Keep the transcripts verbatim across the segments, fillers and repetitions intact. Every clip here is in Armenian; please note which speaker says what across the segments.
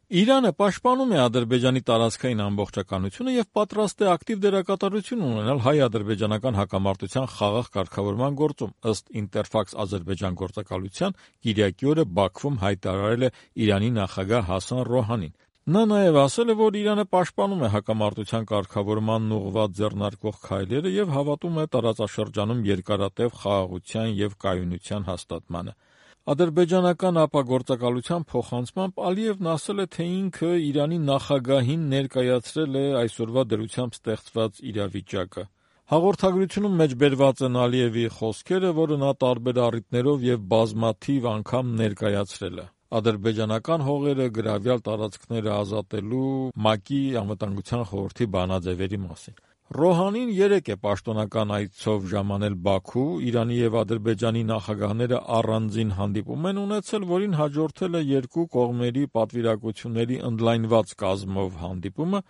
Speaker 1: Իրանը պաշտպանում է Ադրբեջանի տարածքային ամբողջականությունը եւ պատրաստ է ակտիվ դերակատարություն ունենալ հայ-ադրբեջանական հակամարտության խաղաղ կարգավորման գործում, ըստ Interfax Ադրբեջան գործակալության կիրակի օրը Բաքվում հայտարարել է Իրանի նախագահ Հասան Ռոհանին։ Նա նաև ասել է, որ Իրանը պաշտպանում է հակամարտության կարգավորմանն ուղղված ձեռնարկվող քայլերը եւ հավատում է տարածաշրջանում երկարատև խաղաղության եւ կայունության հաստատմանը։ Ադրբեջանական ապագործակալության փոխանցմամբ Ալիևն ասել է, թե ինքը Իրանի նախագահին ներկայացրել է այսօրվա դրությամբ ստեղծված իրավիճակը։ Հաղորդագրությունում մեջբերված են Ալիևի խոսքերը, որը նա տարբեր առիթներով եւ բազմաթիվ անգամ ներկայացրել է։ Ադրբեջանական հողերը գրավյալ տարածքները ազատելու ՄԱԿ-ի անվտանգության խորհրդի բանաձևերի մասին։ Ռոհանին երեկ է պաշտոնական այցով ժամանել Բաքու, Իրանի եւ Ադրբեջանի նախագահները առանձին հանդիպում են ունեցել, որին հաջորդել է երկու կողմերի պատվիրակությունների ընդլայնված կազմով հանդիպումը։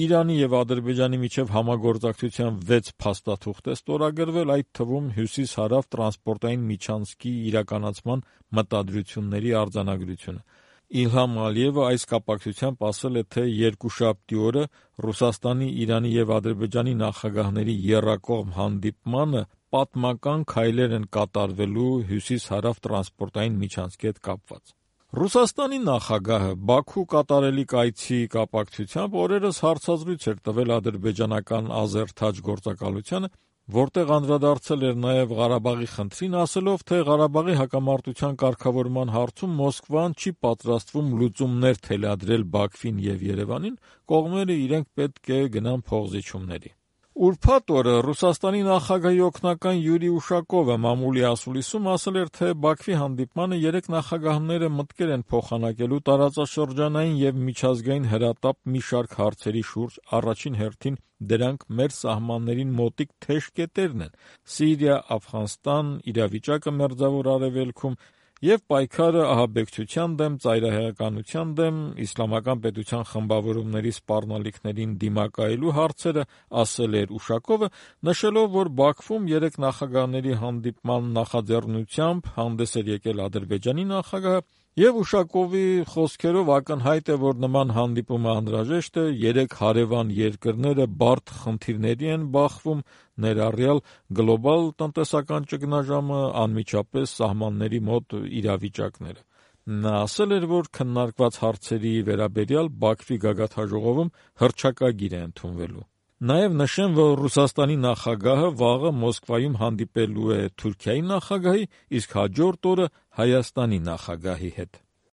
Speaker 1: Իրանի եւ Ադրբեջանի միջև համագործակցության վեց փաստաթուղթ է ստորագրվել, այդ թվում հյուսիս-հարավ տրանսպորտային միջանցքի իրականացման մտադրությունների արձանագրությունը։ Իլհամ Ալիևը այս կապակցությամբ ասել է, թե երկուշաբթի օրը Ռուսաստանի, Իրանի եւ Ադրբեջանի նախագահների եռակողմ հանդիպմանը պատմական քայլեր են կատարվելու հյուսիս-հարավ տրանսպորտային միջանցքի հետ կապված։ Ռուսաստանի նախագահը Բաքու կատարելիք այցի կապակցությամբ օրերս հարցազրույց էր տվել ադրբեջանական «Ազերթաջ» գործակալությանը, որտեղ անդրադարձել էր նաև Ղարաբաղի խնդրին, ասելով, թե Ղարաբաղի հակամարտության կարգավորման հարցում Մոսկվան չի պատրաստվում լուծումներ թելադրել Բաքվին եւ Երևանին, կողմերը իրենք պետք է գնան փոխզիջումների։ Ուրբաթ օրը Ռուսաստանի նախագահի օգնական Յուրի Ուշակովը մամուլի ասուլիսում ասել էր, թե Բաքվի հանդիպմանը երեք նախագահները մտքեր են փոխանակելու տարածաշրջանային եւ միջազգային հրատապ մի շարք հարցերի շուրջ, առաջին հերթին դրանք մեր սահմաններին մոտիկ թեժ կետերն են՝ Սիրիա, Աֆղանստան, իրավիճակը Մերձավոր Արևելքում եւ պայքարը ահաբեկչության դեմ, ծայրահեղականության դեմ, իսլամական պետության խմբավորումների սպառնալիքներին դիմակայելու հարցերը, ասել էր Ուշակովը, նշելով, որ Բաքվում երեք նախագահների հանդիպման նախաձեռնությամբ հանդես էր եկել Ադրբեջանի նախագահը, եւ Ուշակովի խոսքերով ակնհայտ է, որ նման հանդիպումը անհրաժեշտ է, երեք հարևան երկրները բարդ խնդիրների են բախվում, ներառյալ գլոբալ տնտեսական ճգնաժամը, անմիջապես սահմանների մոտ իրավիճակները։ Նա ասել էր, որ քննարկված հարցերի վերաբերյալ Բաքվի գագաթնաժողովում հռչակագիր է ընդունվելու։ Նաև նշեմ, որ Ռուսաստանի նախագահը վաղը Մոսկվայում հանդիպելու է Թուրքիայի նախագահի, իսկ հաջորդ օրը Հայաստանի նախագահի հետ։